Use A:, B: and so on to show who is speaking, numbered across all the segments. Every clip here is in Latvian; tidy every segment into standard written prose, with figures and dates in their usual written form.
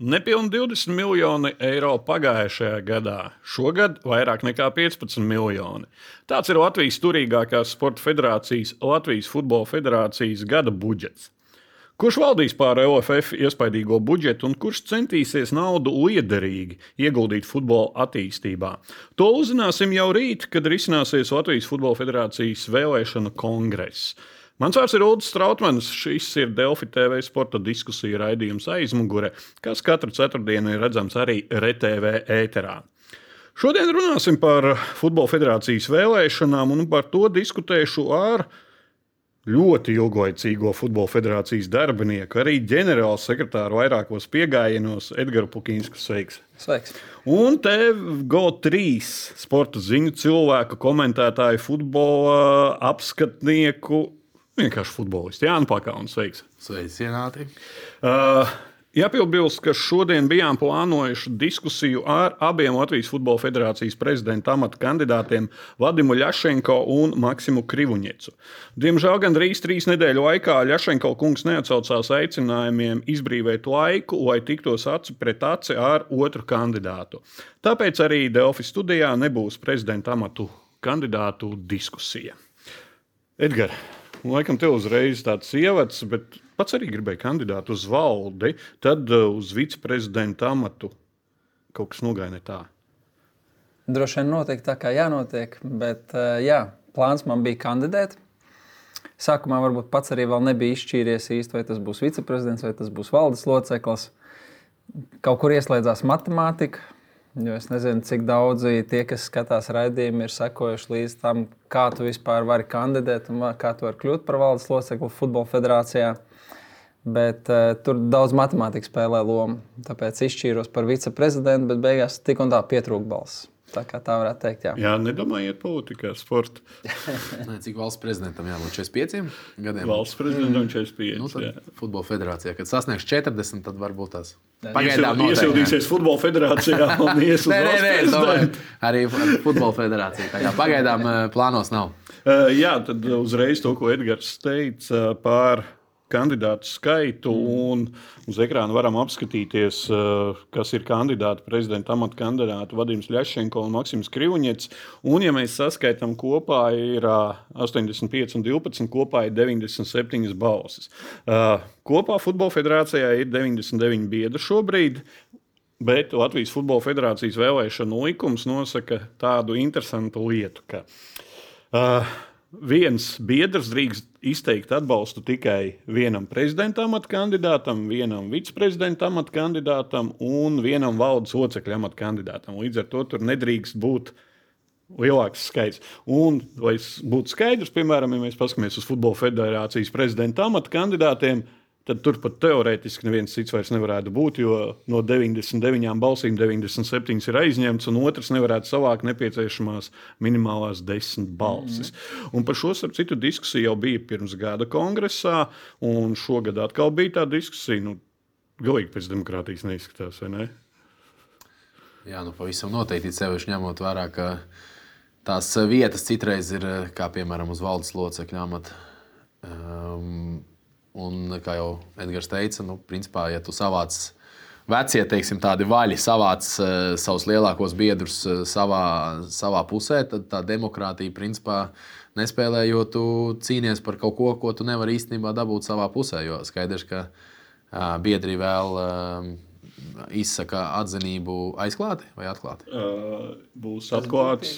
A: Nepilni 20 miljoni eiro pagājušajā gadā. Šogad vairāk nekā 15 miljoni. Tāds ir Latvijas turīgākās sporta federācijas, Latvijas Futbola federācijas gada budžets. Kurš valdīs pār LFF iespaidīgo budžetu un kurš centīsies naudu liederīgi ieguldīt futbola attīstībā? To uzzināsim jau rīt, kad risināsies Latvijas Futbola federācijas vēlēšanu kongress. Mans vārds ir Ulris Strautmanis. Šis ir Delfi TV sporta diskusiju raidījums Aizmugure, kas katru ceturtdienu ir redzams arī RTV ēterā. Šodien runāsim par Futbola federācijas vēlēšanām un par to diskutēšu ar ļoti ilglaicīgo Futbola federācijas darbinieku, arī ģenerāla sekretāru vairākos piegājienos Edgars Pukīnskis. Sveiks!
B: Sveiks!
A: Un te GO3 sporta ziņu cilvēku, komentētāju, futbola apskatnieku, vienkārši futbolists. Jānis Pakauns, sveiks!
C: Sveicināti!
A: Jāpiebilst, ka šodien bijām plānojuši diskusiju ar abiem Latvijas Futbola federācijas prezidenta amata kandidātiem Vadimu Ļašenko un Maksimu Krivuņecu. Diemžēl gandrīz 3 nedēļu laikā Ļašenko kungs neatsaucās aicinājumiem izbrīvēt laiku, lai tiktos aci pret aci ar otru kandidātu. Tāpēc arī Delfi studijā nebūs prezidenta amatu kandidātu diskusija. Edgars, laikam tev uzreiz tāds ievads, bet pats arī gribēja kandidāt uz valdi, tad uz viceprezidenta amatu kaut kas nogāja ne tā.
B: Droši vien notiek tā, kā jānotiek, bet jā, plāns man bija kandidēt. Sākumā varbūt pats arī vēl nebija izšķīries īsti, vai tas būs viceprezidents, vai tas būs valdes loceklis. Kaut kur ieslēdzās matemātika, jo es nezinu, cik daudzi tie, kas skatās raidījumu, ir sekojuši līdz tam, kā tu vispār vari kandidēt un kā tu vari kļūt par valdes locekli Futbola federācijā. Bet tur daudz matemātikas spēlē lomu. Tāpēc izšķīros par viceprezidentu, bet beigās tik un tā pietrūka balss. Tā kā tā varētu teikt, jā.
A: Jā, nedomājiet politikā, sporta.
C: Cik valsts prezidentam jābūt 45 gadiem?
A: Valsts prezidentam 45.
C: Nu, tad Futbola federācijā, kad sasniegs 40, tad varbūt tās
A: Pagaidām iesildīsies Futbola federācijā un ies uz valsts prezidentu.
C: Arī Futbola federācija. Tā kā pagaidām plānos nav.
A: Jā, tad uzreiz to, ko Edgars teica par kandidātu skaitu, un uz ekrāna varam apskatīties, kas ir kandidāti prezidenta amata kandidāti Vadims Ļašenko un Maksims Krivuņets. Un, ja mēs saskaitām kopā, ir 85 un 12, kopā ir 97 balsis. Kopā Futbola federācijā ir 99 biedri šobrīd, bet Latvijas Futbola federācijas vēlēšanu likums nosaka tādu interesantu lietu, ka viens biedrs drīkst izteikt atbalstu tikai vienam prezidenta amata kandidātam, vienam viceprezidenta amata kandidātam un vienam valdes locekļa amata kandidātam. Līdz ar to tur nedrīkst būt lielāks skaits. Un, lai būtu skaidrs, piemēram, ja mēs paskatāmies uz Futbola federācijas prezidenta amata kandidātiem, tad tur pat teorētiski neviens cits vairs nevarētu būt, jo no 99 balsīm 97 ir aizņemts, un otrs nevarētu savākt nepieciešamās minimālās 10 balsis. Un par šo, starp citu, diskusiju jau bija pirms gada kongresā, un šogad atkal bija tā diskusija. Galīgi pēc demokrātijas neizskatās, vai ne?
C: Jā, pavisam noteikti sevišķi ņemot vērā, ka tās vietas citreiz ir, kā piemēram, uz valdes locekļa amata. Un, kā jau Edgars teica, principā, ja tu savāc vecie, teiksim, tādi vaļi, savāc savus lielākos biedrus savā pusē, tad tā demokrātija, principā, nespēlē, jo tu cīnies par kaut ko, ko tu nevari īstenībā dabūt savā pusē. Jo skaidrs, ka biedri vēl izsaka atzinību aizklāti vai atklāti?
A: Būs atklāts,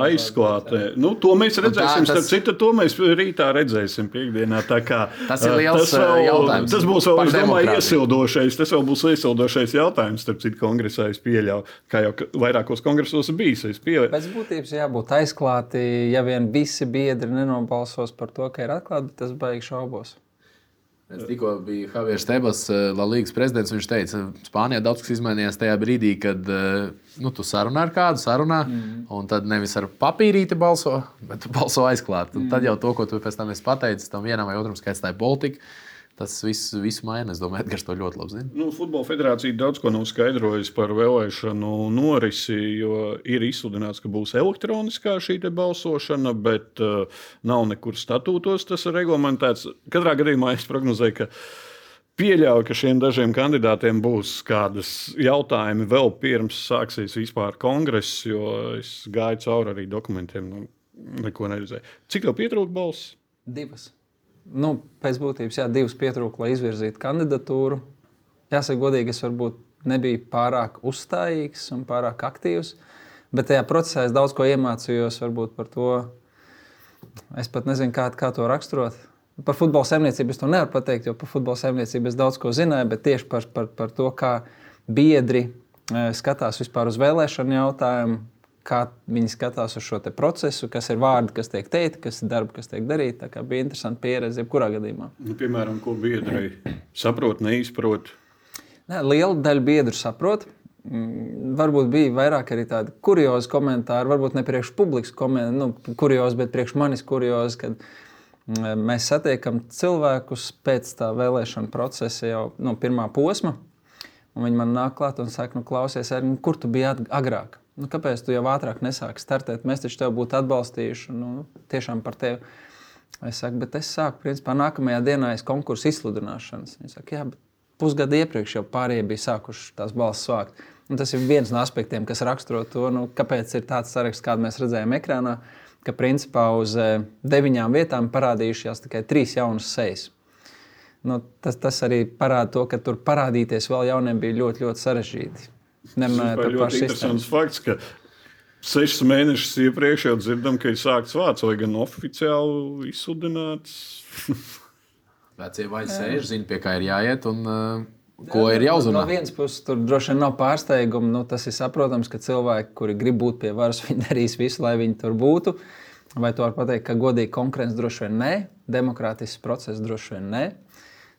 A: aizklāti. To mēs redzēsim, starp citu, to mēs rītā redzēsim piekdienā.
C: Tas ir liels jautājums.
A: Tas būs vēl, es domāju, iesildošais. Tas vēl būs iesildošais jautājums, starp citu, kongresā es pieļauju. Kā jau vairākos kongresos bijis, es pieļauju.
B: Pēc būtības jābūt aizklāti, ja vien visi biedri nenobalsos par to, ka ir atklāti, bet tas baigi šaubos.
C: Tikko bija Javiers Tebas, La Līgas prezidents. Viņš teica, ka Spānijā daudz kas izmainījās tajā brīdī, kad tu sarunā ar kādu, un tad nevis ar papīrīti balso, bet tu balso aizklāt. Tad jau to, ko tu pēc tam esi pateicis, tam vienam vai otram skaits, tā ir politika. Tas visu maina. Es domāju, Edgars to ļoti labi zina.
A: Futbola federācija daudz ko nav skaidrojusi par vēlēšanu norisi, jo ir izsludināts, ka būs elektroniskā šī balsošana, bet nav nekur statūtos tas ir reglamentēts. Katrā gadījumā es prognozēju, ka Pieļauju, ka šiem dažiem kandidātiem būs kādas jautājumi vēl pirms sāksies vispār kongress, jo es gāju cauri arī dokumentiem, neko neredzēju. Cik tev pietrūka balss?
B: 2. Pēc būtības, 2 pietrūka, lai izvirzītu kandidatūru. Jāsaka godīgi, es varbūt nebiju pārāk uzstājīgs un pārāk aktīvs, bet tajā procesā es daudz ko iemācījos varbūt par to. Es pat nezinu, kā to raksturot. Par futbola saimniecību es to nevaru pateikt, jo par futbola saimniecību es daudz ko zināju, bet tieši par to, kā biedri skatās vispār uz vēlēšanu jautājumu, kā viņi skatās uz šo procesu, kas ir vārdi, kas tiek teikti, kas ir darbi, kas tiek darīti. Tā kā bija interesanti pieredze jebkurā gadījumā.
A: Piemēram, ko biedri saprot, neizprot?
B: Liela daļa biedru saprot. Varbūt bija vairāk arī tādi kuriozi komentāri, varbūt ne priekš publikas kuriozi, bet priekš manis kuriozi, kad mēs satiekam cilvēkus pēc tā vēlēšana procesa jau pirmā posma, un viņi man nāk klāt un saka, klausies, kur tu biji agrāk? Kāpēc tu jau ātrāk nesāki startēt? Mēs taču tev būtu atbalstījuši, tiešām par tevi. Es saku, bet es sāku, principā, nākamajā dienā konkursu izsludināšanas. Viņi saka, jā, bet pusgadu iepriekš jau pārējie bija sākuši tās balsis vākt. Un tas ir viens no aspektiem, kas raksturo to, kāpēc ir tāds saraksts, kādu mēs redzējām ekrānā, ka principā uz 9 vietām parādījušās tikai 3 jaunas sejas. Tas arī parāda to, ka tur parādīties vēl jauniem bija ļoti, ļoti sarežģīti.
A: Tas ir ļoti interesants fakts, ka 6 mēnešus iepriekš jau dzirdam, ka ir sākts vārds, vai gan oficiāli izsludināts.
C: Vecie vai sēž, zina, pie kā ir jāiet un ko ir jāuzrunā.
B: No vienas puses, tur droši vien nav pārsteigumu. Tas ir saprotams, ka cilvēki, kuri grib būt pie varas, viņi darīs visu, lai viņi tur būtu. Vai tu vari pateikt, ka godīgi konkurence droši vien nē, demokrātisks process droši vien nē.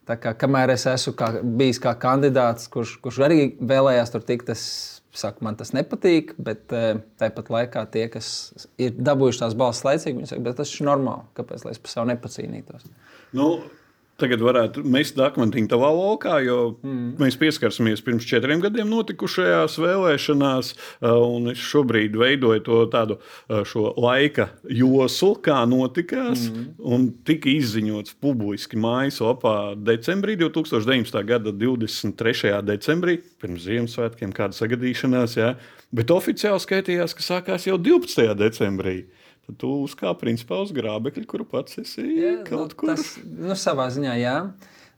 B: Tā kā kamēr es esmu bijis kā kandidāts, kurš arī vēlējās tur tikt, man tas nepatīk, bet tāpat laikā tie, kas ir dabūjuši tās balsis laicīgi, viņi saka, bet tas ir normāli, kāpēc lai es par savu nepacīnītos.
A: Tagad varētu mest akmentiņu tavā lokā, jo mēs pieskarsimies pirms 4 gadiem notikušajās vēlēšanās, un es šobrīd veidoju to tādu šo laika joslu, kā notikās, un tika izziņots publiski mājas lapā decembrī, 2019. gada 23. decembrī, pirms Ziemassvētkiem, kāda sagadīšanās, bet oficiāli skaitījās, ka sākās jau 12. decembrī. Tad tu uzkāp principā uz grābekļa, kuru pats esi kaut kur.
B: Savā ziņā, jā.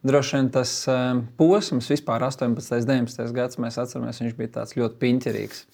B: Droši vien tas posms vispār 18. 19. gads, mēs atceramies, viņš bija tāds ļoti piņķerīgs.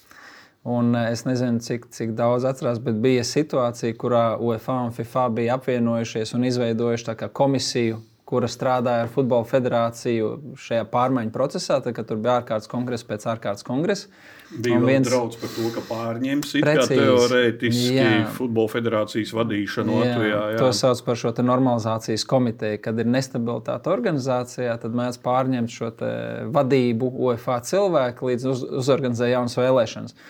B: Un es nezinu, cik daudz atcerās, bet bija situācija, kurā UEFA un FIFA bija apvienojušies un izveidojuši tā kā komisiju, kura strādāja ar Futbola federāciju šajā pārmaiņu procesā, tad, kad tur bija ārkārtas kongress pēc ārkārtas kongresa.
A: Bija vēl draudz par to, ka pārņems teorētiski Futbola federācijas vadīšanu Latvijā.
B: To sauc par šo normalizācijas komiteju. Kad ir nestabilitāte organizācijā, tad mēs pārņemt šo vadību UEFA cilvēku līdz uzorganizē jaunas vēlēšanas.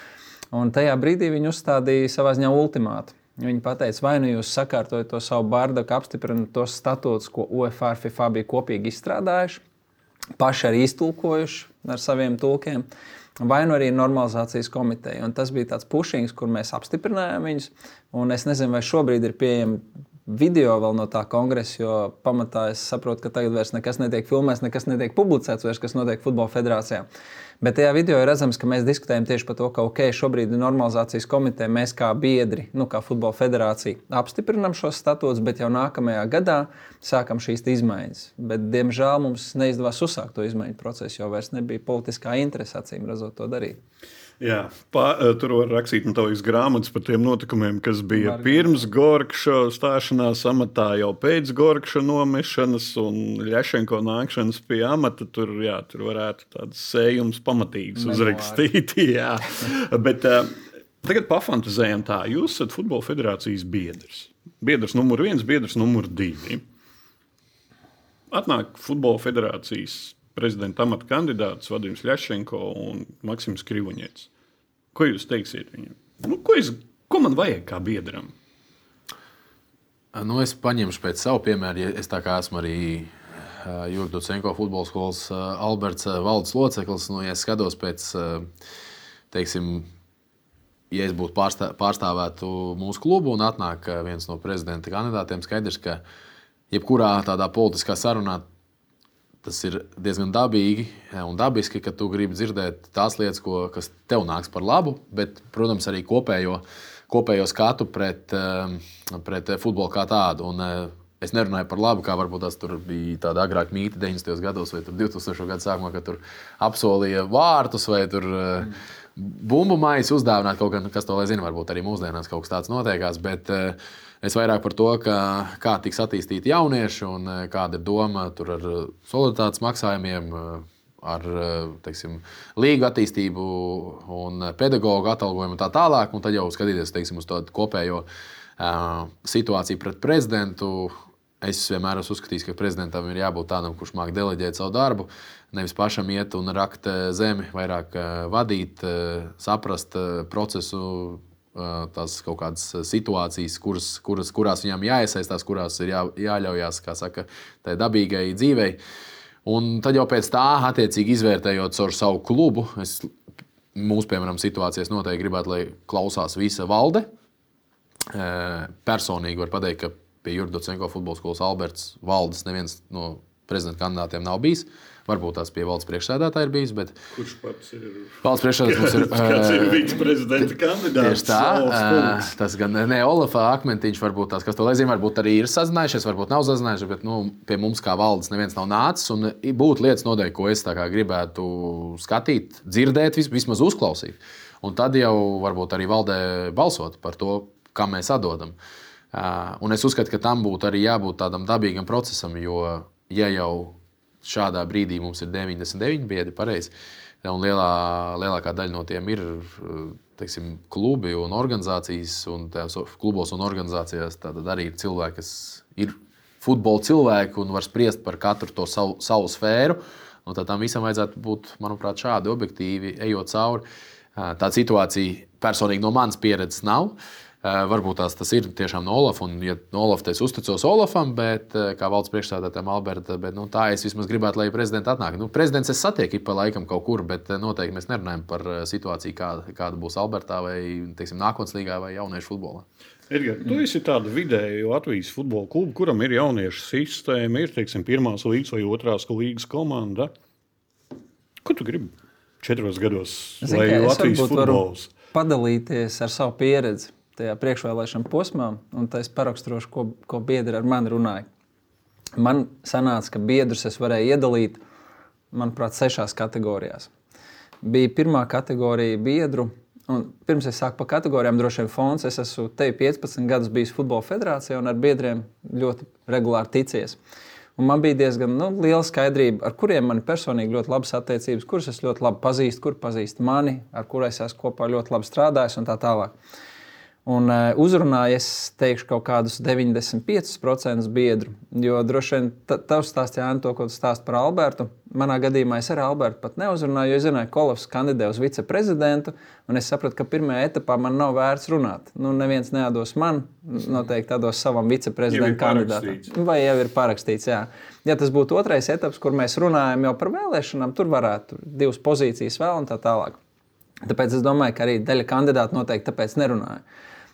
B: Un tajā brīdī viņi uzstādīja savā ziņā ultimātu. Viņi pateica, vai jūs sakārtojat to savu bardaku, apstiprināt tos statūtus, ko UEFA un FIFA bija kopīgi izstrādājuši, paši arī iztulkojuši ar saviem tulkiem, vai arī normalizācijas komiteja. Un tas bija tāds pušings, kur mēs apstiprinājām viņus. Un es nezinu, vai šobrīd ir pieejami video vēl no tā kongresa, jo pamatā es saprotu, ka tagad vairs nekas netiek filmēts, nekas netiek publicēts, vairs, kas notiek Futbola federācijā. Bet tajā video ir redzams, ka mēs diskutējam tieši par to, ka šobrīd ir normalizācijas komiteja, mēs kā biedri, kā Futbola federācija, apstiprinām šos statūtus, bet jau nākamajā gadā sākam šīs izmaiņas. Bet, diemžēl, mums neizdevās uzsākt to izmaiņu procesu, jo vairs nebija politiskā interese, acīm redzot, to darīt.
A: Jā, tur var rakstīt tavas grāmatas par tiem notikumiem, kas bija pirms Gorkša stāšanās amatā, jau pēc Gorkša nomešanas un Ļašenko nākšanas pie amata. Tur varētu tāds sējums pamatīgs uzrakstīt. Jā. Bet tagad pafantazējam tā. Jūs esat Futbola federācijas biedrs. Biedrs numur 1, biedrs numur 2. Atnāk Futbola federācijas prezidenta amata kandidāts Vadims Ļašenko un Maksims Krivoņets. Ko jūs teiksiet viņam? Ko man vajag kā biedram?
C: Es paņemšu pēc savu piemēru. Es tā kā esmu arī Jurga Ducenko futbola skolas Alberts valdes loceklis. Ja es skatos pēc, teiksim, ja es būtu pārstāvētu mūsu klubu un atnāk viens no prezidenta kandidātiem, skaidrs, ka jebkurā tādā politiskā sarunā tas ir diezgan dabīgi un dabiski, ka tu gribi dzirdēt tās lietas, kas tev nāks par labu, bet, protams, arī kopējo skatu pret futbolu kā tādu. Un, es nerunāju par labu, kā varbūt tas tur bija tāda agrāk mīta 90. gados vai 2000. Gadu sākumā, kad tur apsolīja vārtus vai tur bumbu maisu uzdāvināt kaut gan, kas to lai zina, varbūt arī mūsdienās kaut kas tāds notiekās, bet es vairāk par to, kā tiks attīstīti jaunieši un kāda ir doma tur ar solidaritātes maksājumiem, ar teiksim, līgu attīstību un pedagoģu atalgojumu un tā tālāk, un tad jau skatīties teiksim, uz to kopējo situāciju pret prezidentu. Es vienmēr esmu uzskatījis, ka prezidentam ir jābūt tādam, kurš māk deleģēt savu darbu, nevis pašam iet un rakt zemi, vairāk vadīt, saprast procesu, tās kaut kādas situācijas, kurās viņam jāiesaistās, kurās ir jāļaujās, kā saka, tai dabīgai dzīvei. Un tad jau pēc tā, attiecīgi izvērtējot caur savu klubu, mūsu, piemēram, situācijas noteikti gribētu, lai klausās visa valde. Personīgi var pateikt, ka pie Jurģa Docenko futbola skolas Alberts valdes neviens no prezidenta kandidātiem nav bijis. Varbūt tās pie valdes priekšsēdētāja ir bijis, bet...
A: Kurš pats ir?
C: Valdes priekšsēdētājs mums ir...
A: Kāds ir viceprezidenta kandidāts?
C: Tieši tā. Tas gan ne Olafa Akmentiņš, varbūt tās, kas to lai zina, varbūt arī ir sazinājušies, varbūt nav sazinājušies, bet pie mums kā valdes neviens nav nācis. Un būtu lietas noteikti, ko es tā kā gribētu skatīt, dzirdēt, vismaz uzklausīt. Un tad jau varbūt arī valdē balsot par to, kam mēs atdodam. Un es uzskatu, ka tam būtu arī jābūt tādam dabīgam procesam, jo ja jau šādā brīdī mums ir 99 biedri, pareizi, un lielākā daļa no tiem ir teiksim, klubi un organizācijas, un klubos un organizācijās tātad arī ir cilvēki, kas ir futbola cilvēki un var spriest par katru to savu sfēru, un tad tam visam vajadzētu būt, manuprāt, šādi objektīvi ejot cauri. Tāda situācija personīgi no manas pieredzes nav. Varbūt tas ir tiešām no Olafa, un ja no Olafa es uzticos Olafam, bet kā valdes priekšsēdētājam Alberta, bet tā es vismaz gribētu, lai prezidents atnāk. Prezidents es satieku pa laikam kaut kur, bet noteikti mēs nerunājam par situāciju, kāda būs Albertā vai, teiksim, nākotnes līgā vai jauniešu futbolā.
A: Edgar, tu esi tāda vidēja Latvijas futbola kluba, kuram ir jauniešu sistēma, ir, teiksim, 1. līgas vai 2. līgas komanda. Ko tu gribi 4 gados, lai Latvijas futbols?
B: Padalīties ar savu pieredzi tajā priekšvēlēšana posmā, un tā es paraksturošu, ko biedri ar mani runāja. Man sanāca, ka biedrus es varēju iedalīt, manuprāt, 6 kategorijās. Bija pirmā kategorija biedru, un pirms es sāku pa kategorijām, droši vien fonds, es esmu te 15 gadus bijis futbola federācijā un ar biedriem ļoti regulāri ticies. Un man bija diezgan liela skaidrība, ar kuriem man personīgi ļoti labas attiecības, kurus es ļoti labi pazīstu, kur pazīst mani, ar kuriem es esmu kopā ļoti labi strādājis un tā tālāk. Un uzrunāju, es teikšu, kaut kādus 95% biedru, jo droši vien tavs stāsts, Jāni, to, ko tu stāst par Albertu. Manā gadījumā es ar Albertu pat neuzrunāju, jo es zināju, ka Olavs kandidē uz viceprezidentu, un es sapratu, ka pirmajā etapā man nav vērts runāt. Neviens neatdos man, noteikti atdos savam viceprezidentu kandidātam. Vai jau ir parakstīts, jā. Ja tas būtu 2. etaps, kur mēs runājam jau par vēlēšanām, tur varētu 2 pozīcijas vēl un tā tālāk. Tāpēc es domāju, ka arī daļa kandidātu noteikti tāpēc nerunāja.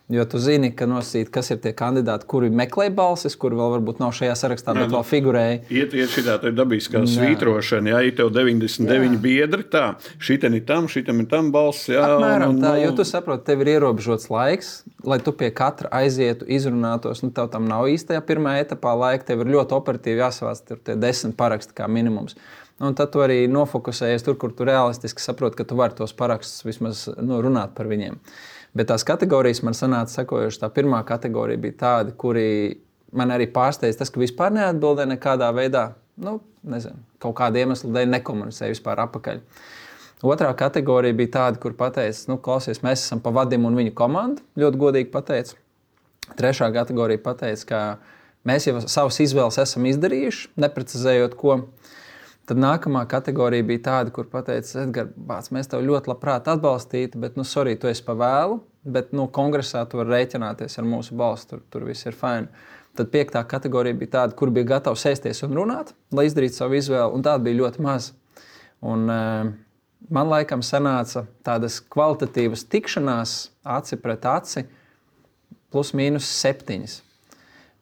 B: Jo tu zini, ka nosīt, kas ir tie kandidāti, kuri meklē balsis, kuri vēl varbūt nav šajā sarakstā, bet vēl figurēja.
A: Iet šitā dabiskā svītrošana, ja ir tev 99 biedri, tā, šitam ir tam balss, jā.
B: Apmēram tā, jo tu saproti, tev ir ierobežots laiks, lai tu pie katra aizietu, izrunātos, tev tam nav īstajā pirmajā etapā laika, tev ir ļoti operatīvi jāsavāc tie 10 paraksti kā minimums. Un tad tu arī nofokusējies tur, kur tu realistiski saproti, ka tu vari tos parakstus vismaz runāt par viņiem. Bet tās kategorijas man sanāca sekojuši. Tā pirmā kategorija bija tāda, kuri man arī pārsteidz tas, ka vispār neatbildēja nekādā veidā, nezinu, kaut kāda iemesla dēļ nekomunicēja vispār apakaļ. Otrā kategorija bija tāda, kur pateica, klausies, mēs esam pa Vadim un viņa komandu, ļoti godīgi pateica. Trešā kategorija pateica, ka mēs jau savas izvēles esam izdarījuši, neprecizējot ko. Tad nākamā kategorija bija tāda, kur pateica, Edgar, mēs tev ļoti labprāt atbalstītu, bet, sorry, tu esi pa vēlu, bet, kongresā tu vari rēķināties ar mūsu balstu, tur viss ir fine. Tad 5. kategorija bija tāda, kur bija gatava sēsties un runāt, lai izdarītu savu izvēli, un tāda bija ļoti maz. Un man laikam sanāca tādas kvalitatīvas tikšanās aci pret aci plus mīnus 7.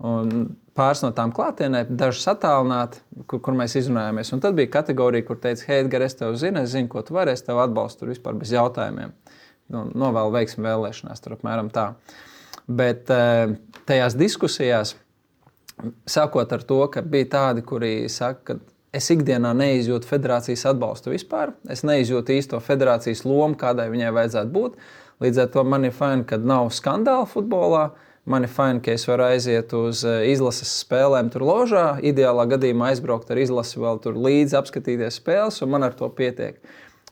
B: Un pāris no tām klātienē, dažas attālināti, kur mēs izrunājāmies. Un tad bija kategorija, kur teica, hei, Edgar, es zinu, ko tu vari, es tev atbalstu tur vispār bez jautājumiem. Novēlu veiksmi vēlēšanās, tur apmēram tā. Bet tajās diskusijās, sākot ar to, ka bija tādi, kuri saka, ka es ikdienā neizjūtu federācijas atbalstu vispār. Es neizjūtu īsto federācijas lomu, kādai viņai vajadzētu būt. Līdz ar to man ir fajn, ka nav skandāla futbolā. Man ir fajn, ka es varu aiziet uz izlases spēlēm tur ložā. Ideālā gadījumā aizbraukt ar izlasi vēl tur līdzi, apskatīties spēles, un man ar to pietiek.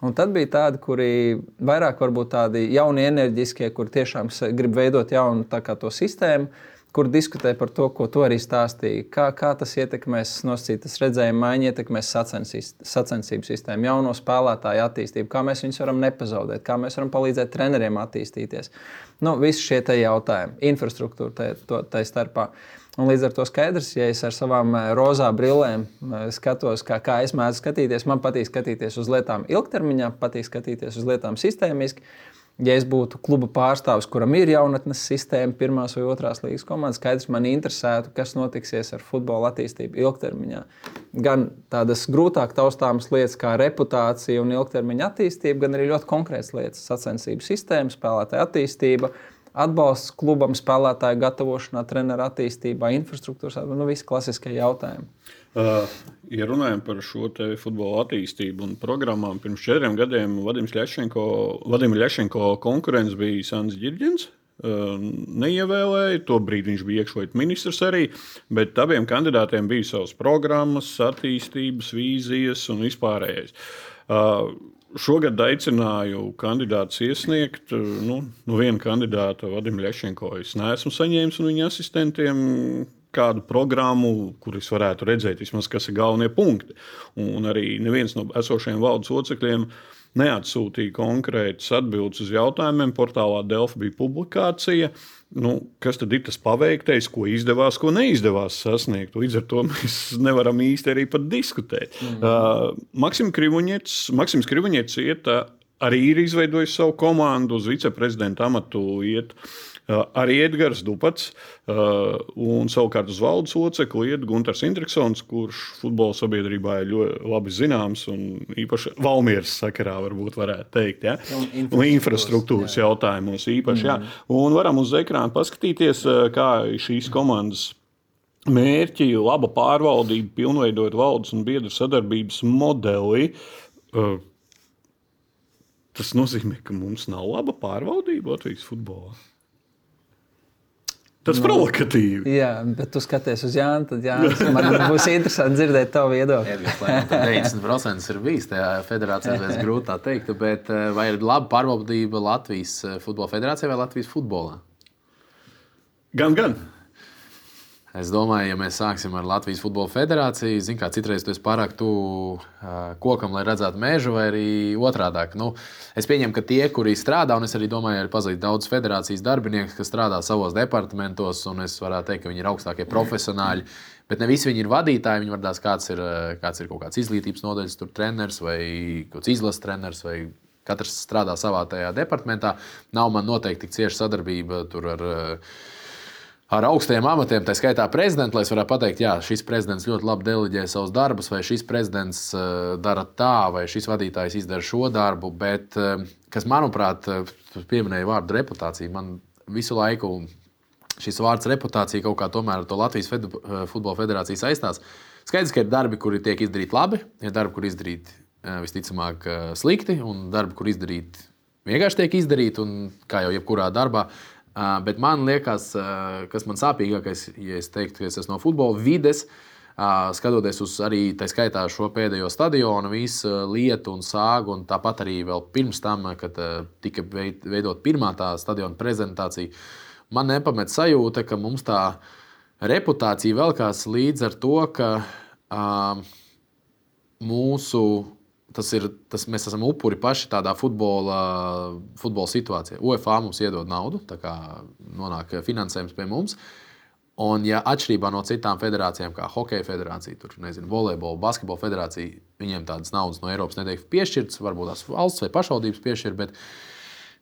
B: Un tad bija tādi, kuri vairāk varbūt tādi jauni, enerģiskie, kur tiešām grib veidot jaunu to sistēmu, kur diskutē par to, ko tu arī stāstīji. Kā tas ietekmēs nosacītas redzējuma maiņu, ietekmēs sacensību sistēmu, jauno spēlētāju attīstību, kā mēs viņus varam nepazaudēt, kā mēs varam palīdzēt treneriem attīstīties. Visi šie jautājumi, infrastruktūra tai starpā. Un līdz ar to skaidrs, ja es ar savām rozā brillēm skatos, kā es mēdzu skatīties, man patīk skatīties uz lietām ilgtermiņā, patīk skatīties uz lietām sistēmiski. Ja es būtu kluba pārstāvis, kuram ir jaunatnes sistēma, pirmās vai otrās līgas komandas, skaidrs, man interesētu, kas notiksies ar futbola attīstību ilgtermiņā. Gan tādas grūtāk taustāmas lietas kā reputācija un ilgtermiņa attīstība, gan arī ļoti konkrētas lietas - sacensību sistēma, spēlētāja attīstība, atbalsts klubam, spēlētāju gatavošanā, treneru attīstībā, infrastruktūras, visi klasiskie jautājumi.
A: Ja runājam par šo futbola attīstību un programmām, pirms 4 gadiem Vadim Ļašenko konkurents bija Sants Ģirģins. Neievēlēja, tobrīd viņš bija iekšlietu ministrs arī, bet abiem kandidātiem bija savas programmas, attīstības, vīzijas un vispārējais. Šogad aicināju kandidātus iesniegt. Viena kandidāta, Vadim Ļašenko, es neesmu saņēmis un viņa asistentiem kādu programmu, kur es varētu redzēt, vismaz, kas ir galvenie punkti. Un arī neviens no esošajiem valdes locekļiem neatsūtīja konkrētas atbildes uz jautājumiem. Portālā Delfi bija publikācija. Kas tad ir tas paveiktais, ko izdevās, ko neizdevās sasniegt? Līdz ar to mēs nevaram īsti arī pat diskutēt. Maksims Krivuņets arī ir izveidojis savu komandu, uz viceprezidenta amatu iet. Arī Edgars Dupats un savukārt uz valdes locekli iet Guntars Indriksons, kurš futbola sabiedrībā ir ļoti labi zināms un īpaši Valmieras sakarā varētu teikt. Ja? Un infrastruktūras jautājumos īpaši. Ja? Un varam uz ekrāna paskatīties, kā šīs komandas mērķi, laba pārvaldība, pilnveidot valdes un biedru sadarbības modeli. Tas nozīmē, ka mums nav laba pārvaldība Latvijas futbolā. Tas provokatīvi.
B: Jā, bet tu skaties uz Jānu, tad Jānis, man būs interesanti dzirdēt tavu viedokli.
C: 90% ir bijis tajā federācijā, es grūti tā teikt, bet vai ir laba pārvaldība Latvijas futbola federācijā vai Latvijas futbolā?
A: Gan.
C: Es domāju, ja mēs sāksim ar Latvijas Futbola Federāciju, citreiz tu esi pārāk tuvu kokam, lai redzētu mežu, vai arī otrādāk. Es pieņemu, ka tie, kuri strādā, un es arī domāju, ir pazīt daudz federācijas darbinieku, kas strādā savos departamentos, un es varētu teikt, ka viņi ir augstākie profesionāļi, bet ne visi viņi ir vadītāji. Viņi var tās, kāds ir kaut kāds izglītības nodaļas treneris vai kāds izlases treneris, vai katrs strādā savā tajā departamentā. Nav man noteikti tik cieša sadarbība tur ar augstajiem amatiem, tā skaitā prezidentu, lai es varētu pateikt, jā, šis prezidents ļoti labi deleģē savus darbus, vai šis prezidents dara tā, vai šis vadītājs izdara šo darbu. Bet, kas manuprāt, pieminēja vārdu reputācija, man visu laiku šis vārds reputācija kaut kā tomēr ar to Latvijas Futbola Federāciju saistās. Skaidrs, ka ir darbi, kuri tiek izdarīti labi, ir darbi, kur izdarīti visticamāk slikti, un darbi, kur izdarīti vienkārši tiek izdarīti, un kā jau jebkurā darbā. Bet man liekas, kas man sāpīgākais, ja es teiktu, ka es esmu no futbola vides, skatoties uz arī tā skaitā šo pēdējo stadionu, visu lietu un sāgu, un tāpat arī vēl pirms tam, kad tika veidot pirmā tā stadiona prezentācija, man nepamet sajūta, ka mums tā reputācija velkās līdz ar to, ka mēs esam upuri paši tādā futbola situācijā. UEFA mums iedod naudu, tā kā nonāk finansējums pie mums. Un, ja atšķirībā no citām federācijām, kā hokeja federācija, volejbola, basketbola federācija, viņiem tādas naudas no Eiropas netiek piešķirtas, varbūt tās valsts vai pašvaldības piešķir, bet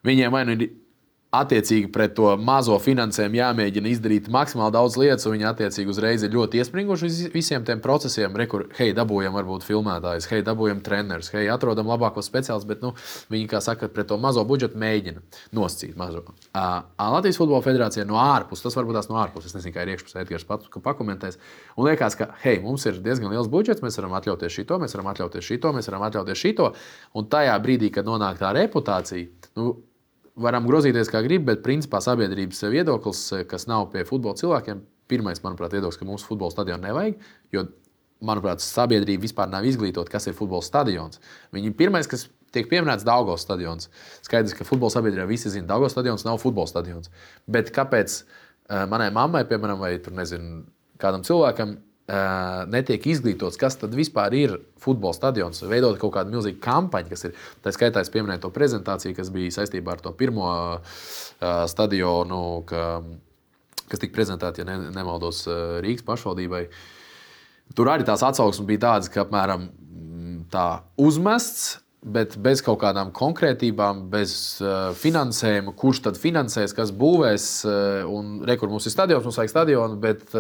C: viņiem vai nu ir attiecīgi pret to mazo finansējumu jāmēģina izdarīt maksimāli daudz lietas, un viņi attiecīgi uzreiz ir ļoti iespringuši visiem tiem procesiem. Rekur, hei, dabūjam varbūt filmētājus, hei, dabūjam trenerus, hei, atrodam labākos speciālistus, bet viņi, kā saka, pret to mazo budžetu mēģina nosacīt mazo. Latvijas Futbola Federācija no ārpuses, tas varbūt tās no ārpuses, es nezinu, kā ir iekšpusē Edgars pakomentēs, un liekas, ka, hei, mums ir diezgan liels budžets, mēs varam atļauties šito, mēs varam atļauties šito, un tajā brīdī, kad nonāk tā reputācija, varam grozīties, kā grib, bet principā sabiedrības viedoklis, kas nav pie futbola cilvēkiem, pirmais, manuprāt, viedoklis, ka mūsu futbola stadionu nevajag, jo, manuprāt, sabiedrība vispār nav izglītota, kas ir futbola stadions. Viņi pirmais, kas tiek pieminēts, Daugavas stadions. Skaidrs, ka futbola sabiedrībā visi zina, Daugavas stadions nav futbola stadions. Bet kāpēc manai mammai, piemēram, vai tur, nezinu, kādam cilvēkam, netiek izglītots, kas tad vispār ir futbola stadions, veidot kaut kādu milzīgu kampaņu, kas ir, tā skaitā es pieminēju to prezentāciju, kas bija saistībā ar to pirmo stadionu, kas tika prezentēta, ja nemaldos, Rīgas pašvaldībai. Tur arī tās atsauksmes bija tādas, ka apmēram tā uzmests, bet bez kaut kādām konkrētībām, bez finansējuma, kurš tad finansēs, kas būvēs, un rekur mums ir stadions, mums vajag stadionu, bet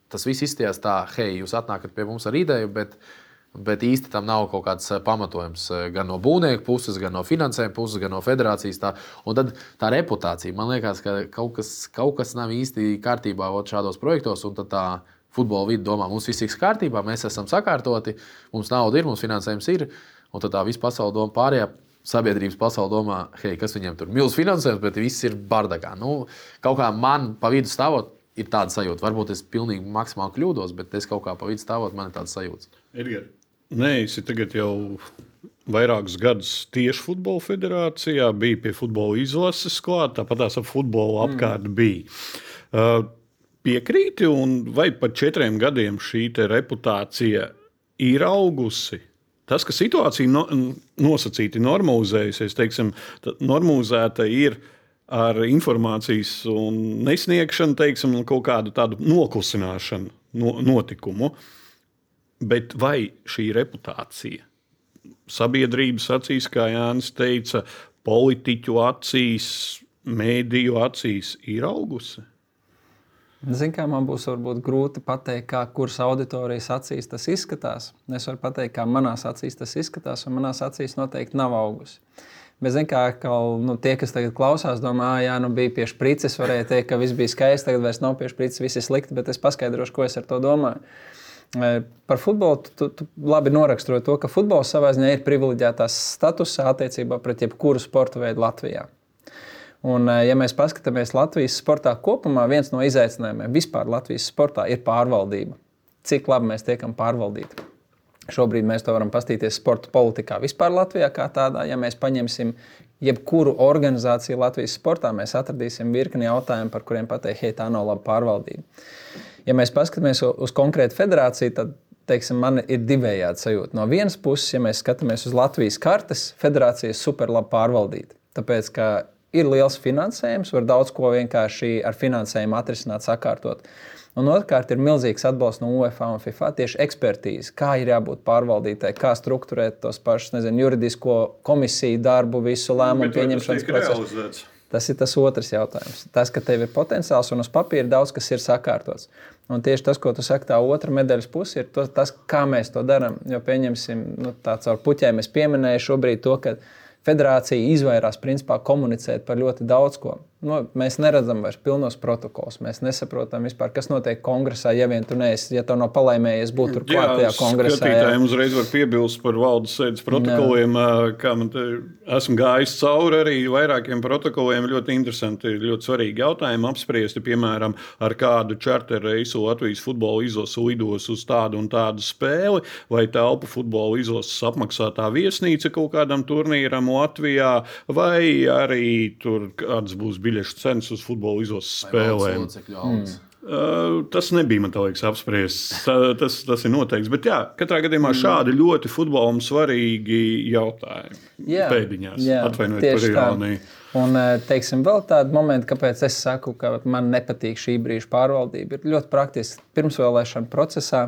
C: tas viss izstījās tā, hei, jūs atnākat pie mums ar ideju, bet īsti tam nav kaut kāds pamatojums gan no būvnieku puses, gan no finansējuma puses, gan no federācijas. Un tad tā reputācija, man liekas, ka kaut kas nav īsti kārtībā šādos projektos, un tad tā futbola vide domā, mums viss ir kārtībā, mēs esam sakārtoti, mums nauda ir, mums finansējums ir, un tad tā visa pasaule domā, pārējā sabiedrības pasaule domā, hei, kas viņiem tur milz finansējums, bet viss ir bardagā. Kaut kā man pa vidu stāvot, ir tāda sajūta. Varbūt es pilnīgi maksimāli kļūdos, bet es kaut kā pa vidu stāvot, man ir tāda sajūta.
A: Edgar, neesi tagad jau vairākus gadus tieši Futbola Federācijā, bija pie futbola izlases klāt, tāpat tās ap futbolu apkārt bija. Piekrīti, un vai pat 4 gadiem šī reputācija ir augusi? Tas, ka situācija nosacīti normalizējusies, teiksim, normalizēta ir ar informācijas nesniegšanu, teiksim, kaut kādu tādu noklusināšanu notikumu. Bet vai šī reputācija sabiedrības acīs, kā Jānis teica, politiķu acīs, mēdīju acīs ir augusi?
B: Zinu, kā man būs varbūt grūti pateikt, kuras auditorijas acīs tas izskatās. Es varu pateikt, kā manās acīs tas izskatās, un manās acīs noteikti nav augusi. Bet, zinu, kā tie, kas tagad klausās, domā, bija pie šprices, varēja teikt, ka viss bija skaisti, tagad vairs nav pie šprices, viss ir slikti, bet es paskaidrošu, ko es ar to domāju. Par futbolu tu labi noraksturoji to, ka futbols savā ziņā ir privileģētās statusā attiecībā pret jebkuru sporta veidu Latvijā. Un, ja mēs paskatāmies Latvijas sportā kopumā, viens no izaicinājumiem vispār Latvijas sportā ir pārvaldība. Cik labi mēs tiekam pārvaldīti. Šobrīd mēs to varam paskatīties sporta politikā vispār Latvijā kā tādā. Ja mēs paņemsim jebkuru organizāciju Latvijas sportā, mēs atradīsim virkni jautājumu, par kuriem pateikt, hei, tā nav laba pārvaldība. Ja mēs paskatāmies uz konkrētu federāciju, tad, teiksim, man ir divējādi sajūta. No vienas puses, ja mēs skatāmies uz Latvijas kartes, federācija ir super labi pārvaldīta. Tāpēc, ka ir liels finansējums, var daudz ko vienkārši ar finansējumu atrisināt, sakārtot. Un otrkārt ir milzīgs atbalsts no UEFA un FIFA tieši ekspertīze, kā ir jābūt pārvaldītai, kā strukturēt tos pašus, juridisko komisiju darbu, visu lēmumu pieņemšanas procesu. Tas ir tas otrs jautājums. Tas, ka tev ir potenciāls un uz papīra daudz, kas ir sakārtots. Un tieši tas, ko tu saki, tā otra medaļas puse ir tas, kā mēs to darām. Jo pieņemsim, tā caur puķēm es pieminēju šobrīd to, ka federācija izvairās principā komunicēt par ļoti daudz ko. Mēs neredzam vairs pilnos protokols. Mēs nesaprotam vispār, kas notiek kongresā, ja vien tu neesi, ja tev nav palaimējies būt tur klāt tajā kongresā.
A: Skatītājiem uzreiz var piebilst par valdes sēdes protokoliem, kā man esmu gājis cauri arī vairākiem protokoliem. Ļoti interesanti, ļoti svarīgi jautājumi apspriesti, piemēram, ar kādu čarteru reisu Latvijas futbola izlase lidos uz tādu un tādu spēli, vai telpu futbola izlases apmaksātā viesnīca kaut kādam turnīram Latvijā, vai arī tur kāds būs biļešu cenas uz futbola izlases spēlēm. Tas nebija, man liekas, apspriests. Tas ir noteikts. Bet jā, katrā gadījumā šādi ļoti futbolam svarīgi jautājumi. Pēdiņās. Atvainojiet par ironiju.
B: Un, teiksim, vēl tādi momenti, kāpēc es saku, ka man nepatīk šī brīža pārvaldība, ir ļoti praktiski. Pirmsvēlēšana procesā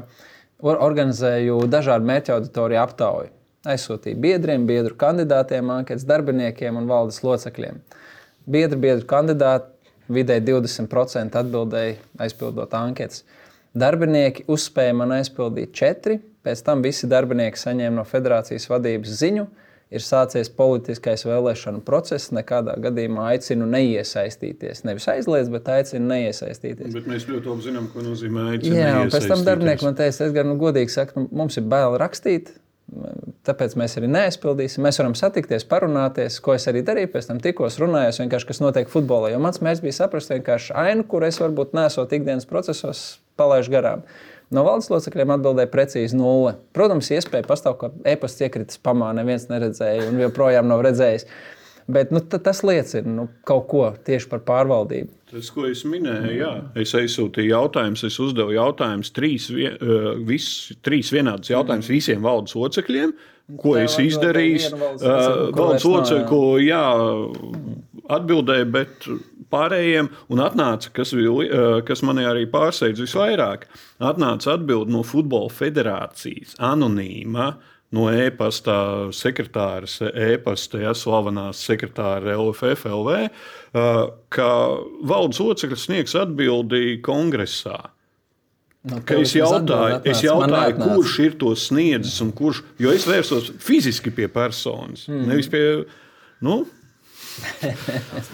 B: organizēju dažādu mērķa auditoriju aptauju. Aizsūtīju biedriem, biedru kandidātiem, anketas darbiniekiem un valdes locekļiem. biedru kandidāti, vidēji 20% atbildēja aizpildot anketas. Darbinieki uzspēja man aizpildīt 4, pēc tam visi darbinieki saņēma no federācijas vadības ziņu, ir sācies politiskais vēlēšanu process, nekādā gadījumā aicinu neiesaistīties. Nevis aizliedz, bet aicinu neiesaistīties.
A: Bet mēs ļoti labi zinām, ko nozīmē aicinu
B: Jā,
A: neiesaistīties.
B: Un pēc tam darbinieki man teica, Edgar, godīgi saka, mums ir bail rakstīt, tāpēc mēs arī neaizpildīsim. Mēs varam satikties, parunāties, ko es arī darīju, pēc tam tikos runājos, vienkārši kas notiek futbolā. Jo mans mērķis bija saprast vienkārši ainu, kur es varbūt nesot ikdienas procesos, palaišu garām. No valdes locekļiem atbildēja precīzi 0. Protams, iespēja pastāv, ka e-pasts iekritis pamā, neviens neredzēja un joprojām nav redzējis. Bet tas liecina kaut ko tieši par pārvaldību.
A: Tas, ko es minēju, jā. Es aizsūtīju jautājumus, es uzdevu jautājumus, 3 vienādus jautājumus visiem valdes locekļiem, ko es izdarīju. Valdes locekļu atbildēja, bet pārējiem, un atnāca, kas mani arī pārsteidz visvairāk, atnāca atbildi no Futbola federācijas, anonīma, no e-pasta sekretāras, e-pasta slavenās sekretāra LFF LV, ka valdes locekļi sniegs atbildi kongresā. Es jautāju, kurš ir to sniedzis un kurš, jo es vērsos fiziski pie personas, nevis pie, kāds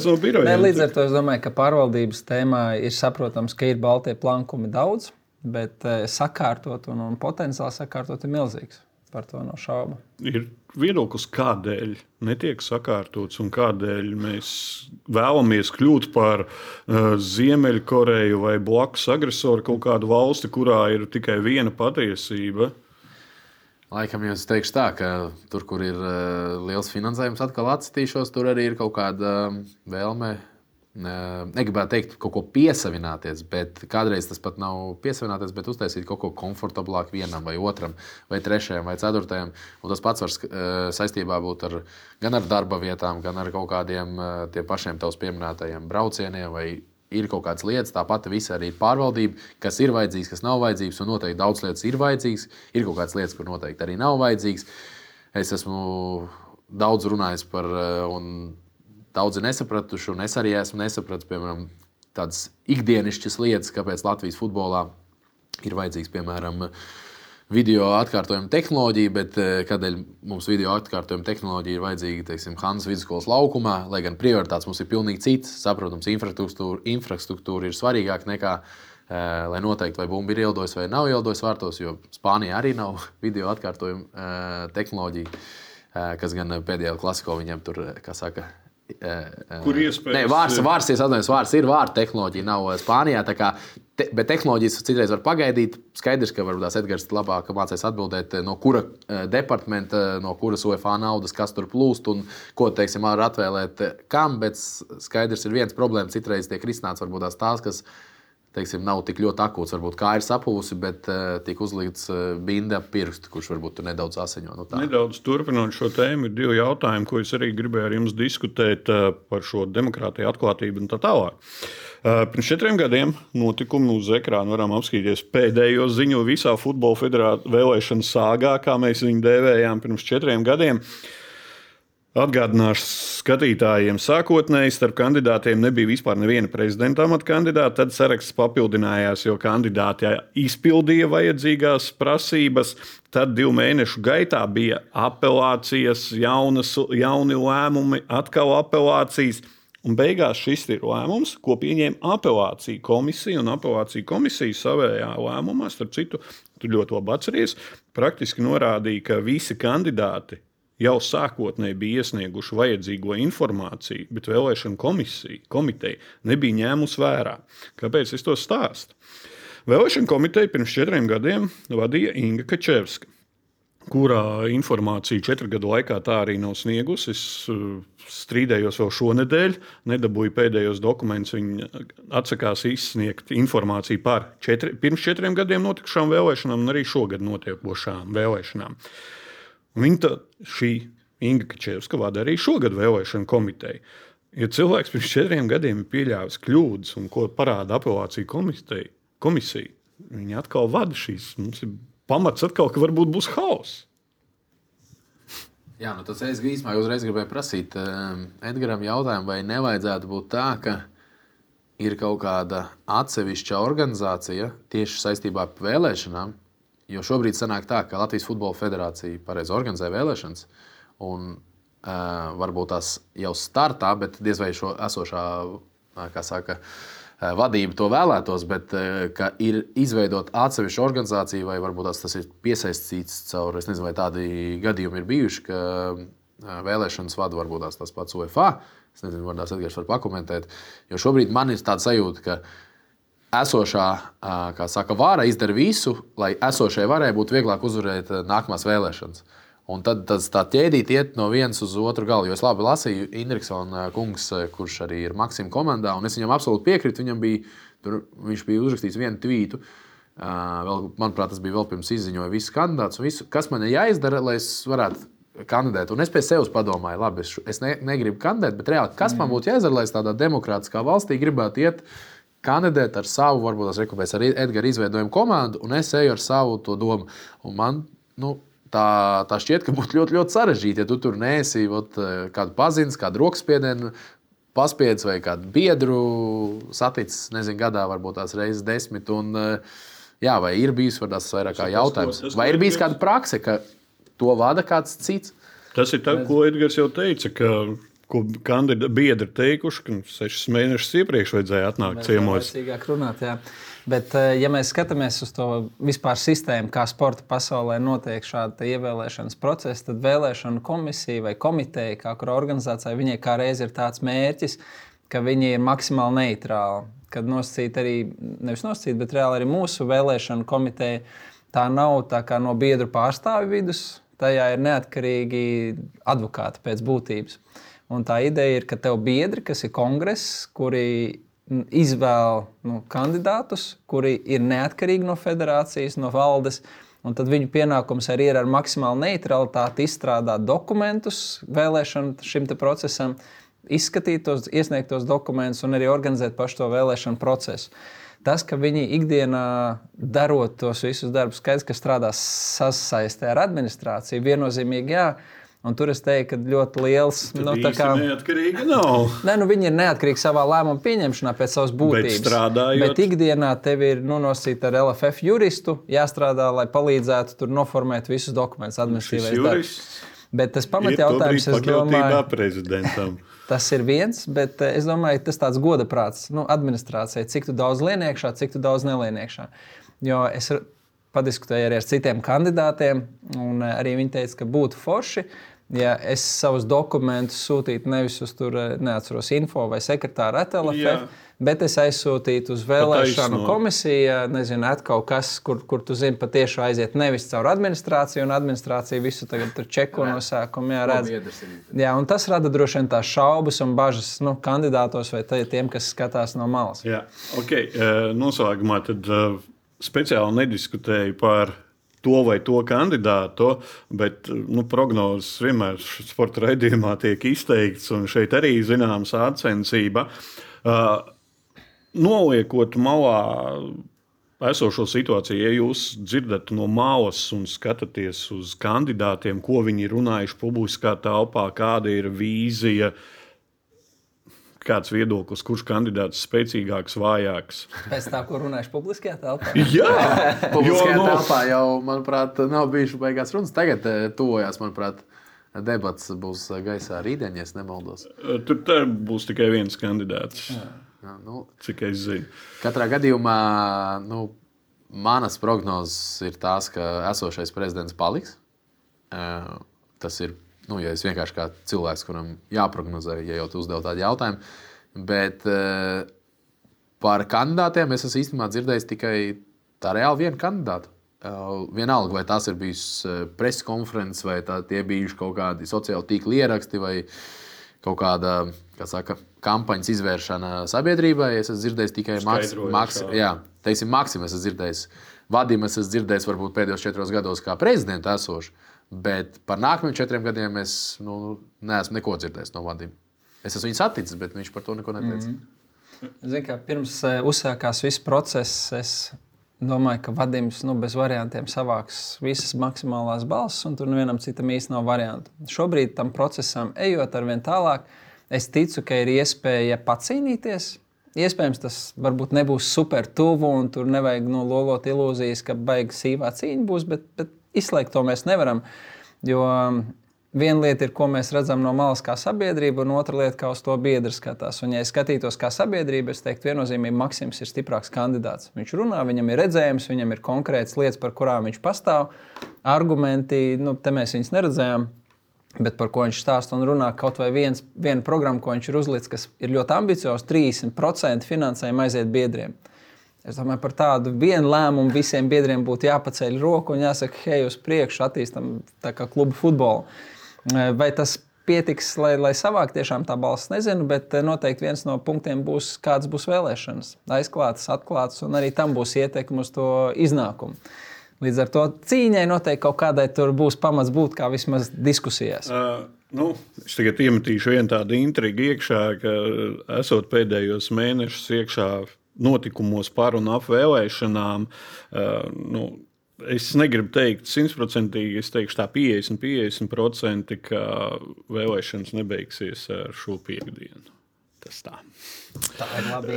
A: no birojiem.
B: Līdz ar to es domāju, ka pārvaldības tēmā ir saprotams, ka ir baltie plankumi daudz, bet sakārtot un potenciāli sakārtot ir milzīgs. Par to nav šaubu.
A: Ir viedoklis, kādēļ netiek sakārtots un kādēļ mēs vēlamies kļūt par Ziemeļkoreju vai blakus agresoru kaut kādu valsti, kurā ir tikai viena patiesība.
C: Laikam jūs teikšu tā, ka tur, kur ir liels finansējums, atkal atcitīšos, tur arī ir kaut kāda vēlme. Negribētu teikt, kaut ko piesavināties, bet kādreiz tas pat nav piesavināties, bet uztaisīt kaut ko komfortablāk vienam, vai otram, vai trešajam, vai ceturtajam. Un tas pats var saistībā būt gan ar darba vietām, gan ar kaut kādiem tiem pašiem tavs pieminētajiem braucieniem, vai ir kaut kādas lietas. Tāpat visa arī ir pārvaldība, kas ir vajadzīgs, kas nav vajadzīgs, un noteikti daudz lietas ir vajadzīgs. Ir kaut kādas lietas, kur noteikti arī nav vajadzīgs. Es esmu daudz runājis par daudzi nesapratuši, un es arī esmu nesapratis, piemēram, tādas ikdienišķas lietas, kāpēc Latvijas futbolā ir vajadzīgs, piemēram, video atkārtojuma tehnoloģija, bet kādēļ mums video atkārtojuma tehnoloģija ir vajadzīga, teiksim, Hanzas vidusskolas laukumā, lai gan prioritātes mums ir pilnīgi citas. Saprotams, infrastruktūra ir svarīgāka nekā, lai noteikti, vai bumba ir ielidojas vai nav ielidojas vārtos, jo Spānijā arī nav video atkārtojuma tehnoloģija, kas gan pēdējā klasiko viņiem tur, kā saka,
A: kur iespējas?
C: Vārds ir vārta tehnoloģija, nav Spānijā. Bet tehnoloģijas citreiz var pagaidīt. Skaidrs, ka varbūt tās Edgars labāk mācīs atbildēt, no kura departamenta, no kuras UEFA naudas, kas tur plūst un ko, teiksim, var atvēlēt kam. Bet skaidrs ir viens problēma. Citreiz tiek risināts varbūt tās, kas, teiksim, nav tik ļoti akūts. Varbūt kā ir sapūsi, bet tiek uzlikts binde ap pirkstu, kurš varbūt tur nedaudz asiņo.
A: Nedaudz turpinot šo tēmu, ir 2 jautājumi, ko es arī gribēju ar jums diskutēt par šo demokrātiju, atklātību un tā tālāk. Pirms 4 gadiem notikumi uz ekrāna varam apskatīties pēdējo ziņu visā futbola federācijas vēlēšanu sāgā, kā mēs viņu dēvējām pirms 4 gadiem. Atgādināšu skatītājiem, sākotnēji starp kandidātiem nebija vispār neviena prezidenta amata kandidāta. Tad saraksts papildinājās, jo kandidāti izpildīja vajadzīgās prasības. Tad 2 mēnešu gaitā bija apelācijas, jauni lēmumi, atkal apelācijas. Un beigās šis ir lēmums, ko pieņēma apelācija komisija. Un apelācija komisija savējā lēmumā, starp citu, tu ļoti labi atceries, praktiski norādīja, ka visi kandidāti jau sākotnēji bija iesnieguši vajadzīgo informāciju, bet vēlēšana komiteja nebija ņēmusi vērā. Kāpēc es to stāstu? Vēlēšana komiteja pirms 4 gadiem vadīja Inga Kačevska, kurā informāciju 4 gadu laikā tā arī nav sniegusi. Es strīdējos vēl šonedēļ, nedabūju pēdējos dokumentus. Viņa atsakās izsniegt informāciju par pirms 4 gadiem notikušām vēlēšanām un arī šogad notiekošām vēlēšanām. Viņa šī Inga Kačevska vada arī šogad vēlēšanu komiteju. Ja cilvēks pirms 4 gadiem ir pieļāvis kļūdas un ko parāda apelācija komisija, viņa atkal vada šīs. Mums ir pamats atkal, ka varbūt būs hauss.
C: Jā, tas es īstenībā uzreiz gribēju prasīt Edgaram jautājumu, vai nevajadzētu būt tā, ka ir kaut kāda atsevišķa organizācija tieši saistībā ar vēlēšanām, jo šobrīd sanāk tā, ka Latvijas Futbola Federācija pareizi organizē vēlēšanas, un varbūt tās jau startā, bet diez vai šo esošā, kā saka, vadība to vēlētos, bet ka ir izveidot atsevišķu organizāciju, vai varbūt tas ir piesaistīts caur, es nezinu, vai tādi gadījumi ir bijuši, ka vēlēšanas vada varbūt tas pats UEFA. Es nezinu, varbūt Edgars var pakomentēt, jo šobrīd man ir tāda sajūta, ka esošā, kā saka, vara izdara visu, lai esošajai varai būtu vieglāk uzvarēt nākamās vēlēšanas. Un tad tā ķēdīte iet no vienas uz otru galu. Jo es labi lasīju Indriksona kungs, kurš arī ir Maksima komandā, un es viņam absolūti piekrītu. Viņš bija uzrakstījis vienu tvītu. Manuprāt, tas bija vēl pirms izziņoja visus kandidātus. Visu, kas man ir jāizdara, lai es varētu kandidēt. Un es pie sevis padomāju, labi, es negribu kandidēt, bet reāli, kas man būtu jāizdara, lai es tādā demokrātiskā valstī gribētu iet kandidēt ar savu, varbūt tās rekomendācijas ar Edgara izveidojumu komandu, un es eju ar savu to domu. Un man, tā šķiet, ka būtu ļoti, ļoti sarežģīti, ja tu tur neesi kādu pazīstis, kādu rokspiedienu paspiedis vai kādu biedru saticis, nezinu, gadā, varbūt tās reizes 10. Un, jā, vai ir bijis vairāk kā jautājums? Vai ir bijis kāda prakse, ka to vada kāds cits?
A: Tas ir tas, ko Edgars jau teica, ko biedri teikuši, ka 6 mēnešus iepriekš vajadzēja atnākt ciemos.
B: Runāt, jā. Bet, ja mēs skatāmies uz to vispār sistēmu, kā sporta pasaulē notiek šāda ievēlēšanas procesa, tad vēlēšanu komisija vai komiteja, kā kura organizācija, viņai kā reiz ir tāds mērķis, ka viņi ir maksimāli neitrāli. Kad nosacīt arī, nevis nosacīt, bet reāli arī mūsu vēlēšanu komiteja, tā nav tā kā no biedru pārstāvju vidus, tajā ir neatkarīgi advokāti pēc būtības. Un tā ideja ir, ka tev biedri, kas ir kongress, kuri izvēl kandidātus, kuri ir neatkarīgi no federācijas, no valdes, un tad viņu pienākums arī ir ar maksimālu neutralitāti izstrādāt dokumentus vēlēšanu šim procesam, izskatīt tos iesniegtos dokumentus un arī organizēt pašu to vēlēšanu procesu. Tas, ka viņi ikdienā darot tos visus darbus, skaidrs, ka strādās sasaistē ar administrāciju, viennozīmīgi jā. Un tur es teiktu, ka ļoti liels.
A: Tā kā neatkarīgi nav.
B: Nē, viņi ir neatkarīgi savā lēmuma pieņemšanā pēc savas būtības. Bet ikdienā tev ir nosacīta ar LFF juristu, jāstrādā, lai palīdzētu tur noformēt visus dokumentus administratīvais darbs. Bet tas pamatjautājums, es domāju,
A: prezidentam.
B: Tas ir viens, bet es domāju, tas tāds godaprāts administrācijai, cik tu daudz lien iekšā, cik tu daudz nelien iekšā. Jo es padiskutēju arī ar citiem kandidātiem, un arī viņi teica, ka būtu forši, ja es savus dokumentus sūtītu nevis uz tur, neatceros, info vai sekretāru LFF, bet es aizsūtītu uz vēlēšanu komisiju, nezinu, kaut kas, kur tu zini, patiešām aiziet nevis caur administrāciju, un administrācija visu tagad tur čeko no sākuma, redz. Jā, un tas rada droši vien tās šaubas un bažas kandidātos vai tiem, kas skatās no malas.
A: Jā, noslēgumā tad speciāli nediskutēju par to vai to kandidātu, bet prognozes vienmēr sporta raidījumā tiek izteikts, un šeit arī zināma sācensība. Noliekot malā esošo situāciju, ja jūs dzirdat no malas un skatāties uz kandidātiem, ko viņi ir runājuši publiskā telpā, kāda ir vīzija, kāds viedoklis, kurš kandidāts spēcīgāks, vājāks.
B: Pēc tā, ko runājuši publiskajā telpā?
A: Jā!
C: Publiskajā telpā jau, manuprāt, nav bijuši beigās runas. Tagad tuvojās, manuprāt, debats būs gaisā rītdien, ja es nemaldos.
A: Tur būs tikai viens kandidāts, cik es zinu.
C: Katrā gadījumā manas prognozes ir tās, ka esošais prezidents paliks. Tas ir ja es vienkārši kā cilvēks, kuram jāprognozē, ja jau tu uzdev tādu jautājumu. Bet par kandidātiem es esmu īstenībā dzirdējis tikai tā reāli vienu kandidātu. Vienalga, vai tās ir bijusi preses konferences, vai tie bijuši kaut kādi sociāli tīkli ieraksti, vai kaut kāda, kā saka, kampaņas izvēršana sabiedrībai. Es esmu dzirdējis tikai Maksimu, es esmu dzirdējis. Vadim es esmu dzirdējis varbūt pēdējos 4 gados kā prezidentu esošu. Bet par nākamajiem 4 gadiem es neesmu neko dzirdējis no Vadima. Es esmu viņu saticis, bet viņš par to neko neteica.
B: Zinu, ka pirms uzsākās viss process, es domāju, ka Vadims bez variantiem savāks visas maksimālās balsis, un tur nevienam citam īsti nav variantu. Šobrīd tam procesam ejot arvien tālāk, es ticu, ka ir iespēja pacīnīties. Iespējams, tas varbūt nebūs super tuvu, un tur nevajag lolot ilūzijas, ka baigi sīvā cīņa būs, bet izslēgt to mēs nevaram. Jo viena lieta ir, ko mēs redzam no malas kā sabiedrība, un otra lieta, kā uz to biedri skatās. Un, ja es skatītos kā sabiedrība, es teiktu, viennozīmīgi Maksims ir stiprāks kandidāts. Viņš runā, viņam ir redzējums, viņam ir konkrētas lietas, par kurām viņš pastāv. Argumenti, te mēs viņus neredzējām, bet par ko viņš stāsta un runā, kaut vai viena programma, ko viņš ir uzlicis, kas ir ļoti ambiciozs, 30% finansējuma aiziet biedriem. Es domāju, par tādu vienu lēmumu visiem biedriem būtu jāpaceļ roku un jāsaka, hei, uz priekšu attīstam tā kā klubu futbolu. Vai tas pietiks, lai savāk tiešām tā balss, nezinu, bet noteikti viens no punktiem būs, kāds būs vēlēšanas. Aizklātas, atklātas, un arī tam būs ietekme uz to iznākumu. Līdz ar to cīņai noteikti kaut kādai tur būs pamats būt, kā vismaz diskusijās.
A: Es tagad iemetīšu vienu tādu intrigu iekšā, ka esot pēdējos mēnešus iekšā notikumos par un ap vēlēšanām, es negribu teikt 100%, es teikšu tā 50%, ka vēlēšanas nebeigsies ar šo piekdienu. Tas tā.
B: Tā ir labi.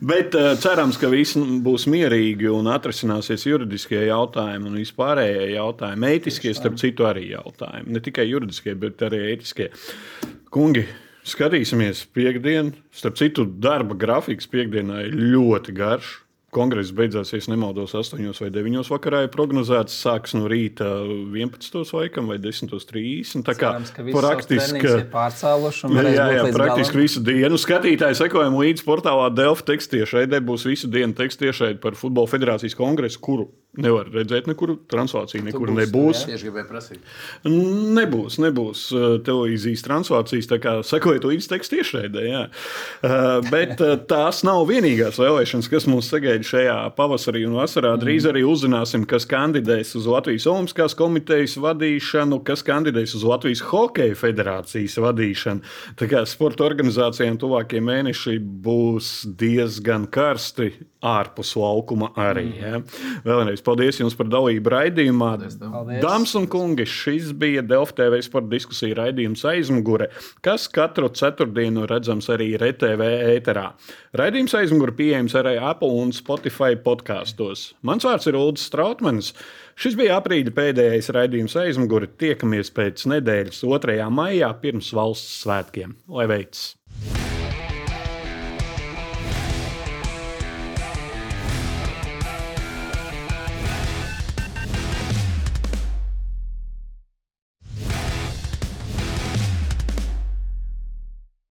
A: Bet cerams, ka viss būs mierīgi un atrisināsies juridiskie jautājumi un vispārējie jautājumi. Ētiskie, starp citu, arī jautājumi. Ne tikai juridiskie, bet arī ētiskie. Kungi, skatīsimies piekdienu. Starp citu, darba grafiks piekdienā ir ļoti garš. Kongress beidzās, ja nemaldos, 8 vai 9 vakarā ir prognozēts. Sāks no rīta 11 laikam vai 10:30. Tā kā
B: cerams, ka praktiski ir pārcēluši un varēs būt līdz
A: praktiski
B: galam.
A: visu dienu. Skatītāji sekojam līdz portālā Delfi tekstiešraidē. Būs visu dienu tekstiešraide par Futbola federācijas kongresu, kuru nevar redzēt nekur. Translācija nekur nebūs.
C: Tieši gribēju prasīt.
A: Nebūs televīzijas translācijas, tā kā sekojiet līdz tekstiešraidē. Bet tās nav vienīgās vēlēšanas, kas mums sagaida šajā pavasarī un vasarā. Drīz arī uzzināsim, kas kandidēs uz Latvijas Olimpiskās komitejas vadīšanu, kas kandidēs uz Latvijas Hokeja federācijas vadīšanu. Tā kā sporta organizācijām tuvākie mēneši būs diezgan karsti ārpus laukuma arī. Vēlreiz paldies jums par dalību raidījumā.
B: Paldies.
A: Dāmas un kungi, šis bija Delfi TV sporta diskusija raidījums Aizmugure, kas katru ceturtdienu redzams arī RTV ēterā. Raidījums Aizmugure pieejams arī Apple un Spotify podkastos. Mans vārds ir Uldis Strautmanis. Šis bija aprīļa pēdējais raidījums Aizmugure. Tiekamies pēc nedēļas 2. maijā pirms valsts svētkiem. Lai veicas!